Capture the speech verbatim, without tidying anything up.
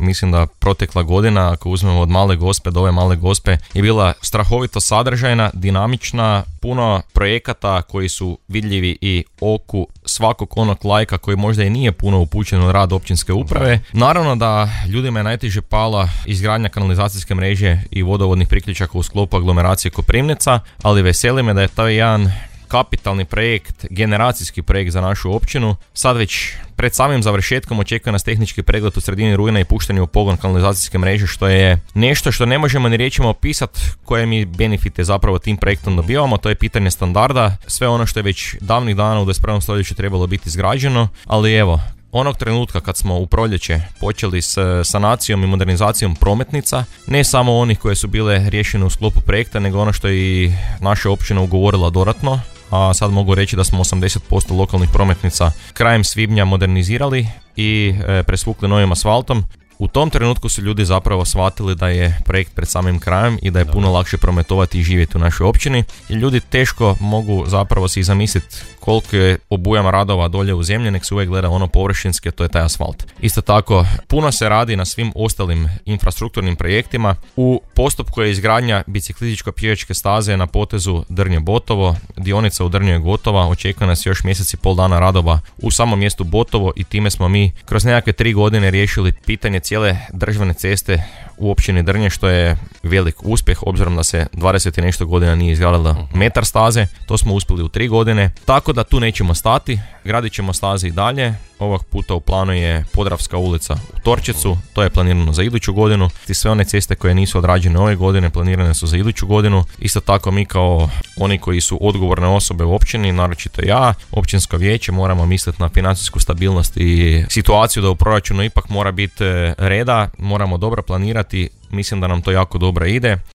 mislim da protekla godina, ako uzmemo od Male Gospe do ove Male Gospe, je bila strahovito sadržajna, dinamična, puno projekata koji su vidljivi i oku svakog onog lajka koji možda i nije puno upućen u rad općinske uprave. Naravno da ljudima je najteže pala izgradnja kanalizacijske mreže i vodovodnih priključaka u sklopu aglomeracije Koprivnica, ali veseli me da je to jedan kapitalni projekt, generacijski projekt za našu općinu. Sad već pred samim završetkom očekuje nas tehnički pregled u sredini rujna i puštanje u pogon kanalizacijske mreže, što je nešto što ne možemo ni riječima opisati koje mi benefite zapravo tim projektom dobivamo. To je pitanje standarda, sve ono što je već davnih dana u dvadeset prvom stoljeću trebalo biti izgrađeno, ali evo, onog trenutka kad smo u proljeće počeli s sanacijom i modernizacijom prometnica, ne samo onih koje su bile riješene u sklopu projekta, nego ono što je i naša općina ugovorila dodatno, a sad mogu reći da smo osamdeset posto lokalnih prometnica krajem svibnja modernizirali i e, presvukli novim asfaltom. U tom trenutku su ljudi zapravo shvatili da je projekt pred samim krajem i da je puno lakše prometovati i živjeti u našoj općini. I ljudi teško mogu zapravo si zamisliti koliko je obujam radova dolje u zemlji, nek se uvijek gleda ono površinske, to je taj asfalt. Isto tako, puno se radi na svim ostalim infrastrukturnim projektima. U postupku je izgradnja biciklističko-pješačke staze na potezu Drnje-Botovo, dionica u Drnju je gotova, očekuje nas još mjesec i pol dana radova u samom mjestu Botovo i time smo mi kroz nekakve tri godine riješili pitanje cijele državne ceste u općini Drnje, što je velik uspjeh obzirom da se dvadeset i nešto godina nije izgradila metar staze. To smo uspjeli u tri godine, tako da tu nećemo stati, gradit ćemo staze i dalje. Ovog puta u planu je Podravska ulica u Torčecu, to je planirano za iduću godinu. I sve one ceste koje nisu odrađene ove godine planirane su za iduću godinu. Isto tako mi kao oni koji su odgovorne osobe u općini, naročito ja, općinsko vijeće, moramo misliti na financijsku stabilnost i situaciju da u proračunu ipak mora biti reda, moramo dobro planirati. Mislim da nam to jako dobro ide.